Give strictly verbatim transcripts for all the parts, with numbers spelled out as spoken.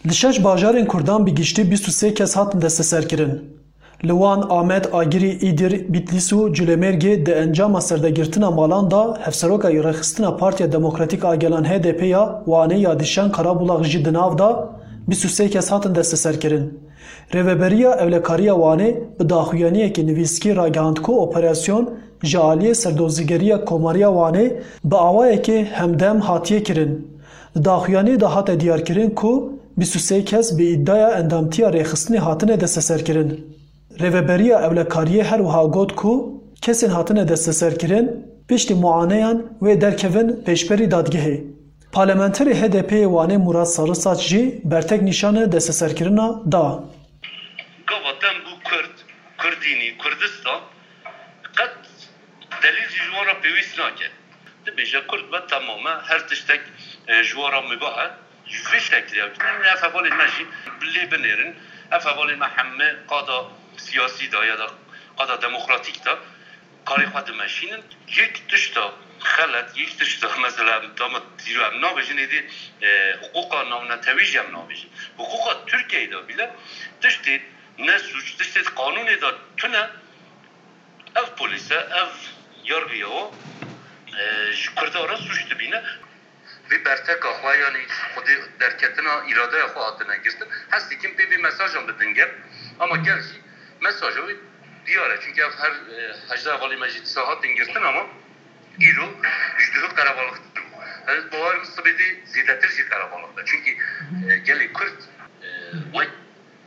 Li şeş bajarên Kurdan bi giştî bîst û sê kes hatin desteserkirin. Li wan Amed, Agirî, Îdir, Bîtlîs û Culemêrgê di encama serdegirtina malan de hevseroka rêxistina Partiya Demokratîk a Gelan H D P ya Wanê ya Dîşen Karabulak jî di nav de bîst û sê kes hatin desteserkirin. Rêveberiya Ewlekariya Wanê bi daxuyaniyekî nivîskî ragihand ku operasyon ji aliyê Serdozgeriya Komariya Wanê bi awayekê hemdem hatiye kirin. Di daxuyaniyê de hate diyarkirin ku bîst û sê kes bi îdaya endamtiya rêxistinê hatine desteserkirin. Rêveberiya Ewlekariyê her wiha got ku kesên hatine desteserkirin piştî muaneyan wê derkevin pêşberî dadgehê. Parlamenterê H D P'ê Wanê Murat Sarısaç jî bertek nîşane desteserkirina da. Gava dem bû Kurd, Kurdînî, Kurdistan qet delîl jî ji wan re pêwîst nake. Dibêje Kurd be, temam e, her tiştek, e, ji wan re mubah e. Ji vê şeklê ew dibêjin, ev hevalên me jî lê binêrin. Ev hevalên me heme qada siyasî de ya da qada demokratîk de karê xwe dimeşînin. Yek tişta xelet, yek tişta mesela em dama dîro em nabêjin êdî, e, hiqûqa navnetewî jî em nabêjin. Hiqûqa Tirkiyeyê de bîle tiştê ne sûc, tiştê qanûnê de tune, ev polîs e, ev yargî ye, o, e, ji Kurda re sûc dibîne. Vê berteka xwe, yanî xwedî derketina îradeya xwe hatine girtin. Hez dikim pê vê mesajan bidin gel. Ama gel jî mesaja wê diyar e. Çünkü ev her, e, hejdeh hevalê me jî dîsa hatin girtin ama îro ji duhî qerebalixtir bû. Ez bawer im sibê dê zêdetir jî qerebalix be. Çünkü, e, gelê Kurd, e, wek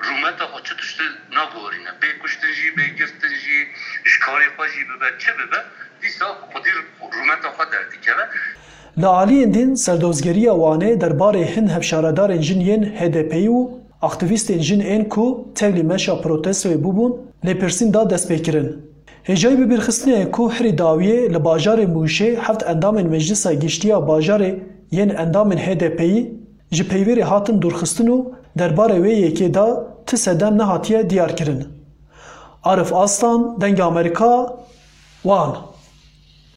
rûmeta xwe çi tiştî nagorîne. Bê kuştin jî, bê girtin jî, ji karê xwe jî bibe, çi bibe, dîsa xwedî rûmeta xwe derdikeve. Li aliyên din, Serdozgeriya Wanê derbarê hin hevşaredarên jin yên H D P'yî û aktîvîstên jin ên ku tevlî meşa protestoyê bûbûn, lêpirsîn da destpêkirin. Hêjayî bibîrxistinê ye ku herî dawiyê li bajarê Mûşê heft endamên Meclisa Giştî ya Bajarê yên endamên H D P'yî ji peywêrê hatin dûrxistin û derbarê wê yekê de ti sedem nehatiye diyarkirin. Arif Aslan, Dengê Amerîka, Wan.